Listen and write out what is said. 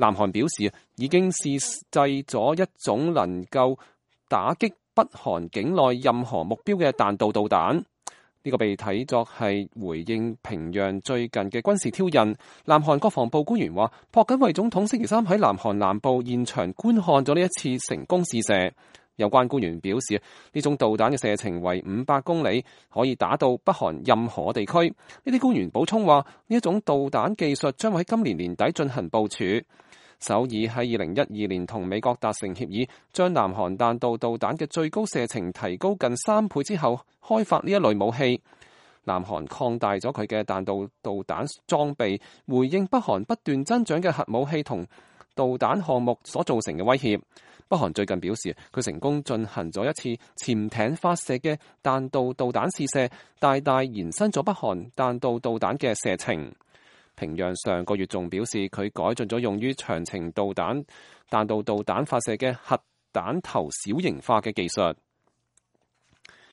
南韓表示已經試製咗一種能夠打擊北韓境內任何目標嘅彈道導彈。呢個被睇作係回應平壤最近嘅軍事挑釁。南韓國防部官員話，朴槿惠總統星期三喺南韓南部現場觀看咗呢一次成功試射。有關官員表示，呢種導彈嘅射程為500公里，可以打到北韓任何地區。呢啲官員補充話，呢一種導彈技術將會喺今年年底進行部署。首爾喺2012年同美國達成協議，將南韓彈道導彈嘅最高射程提高近3倍之後，開發呢一類武器。南韓擴大咗佢嘅彈道導彈裝備，回應北韓不斷增長嘅核武器同導彈項目所造成嘅威脅。北韓最近表示，佢成功進行咗一次潛艇發射嘅彈道導彈試射，大大延伸咗北韓彈道導彈嘅射程。平壤上個月仲表示，佢改進咗用於長程彈道導彈發射嘅核彈頭小型化嘅技術。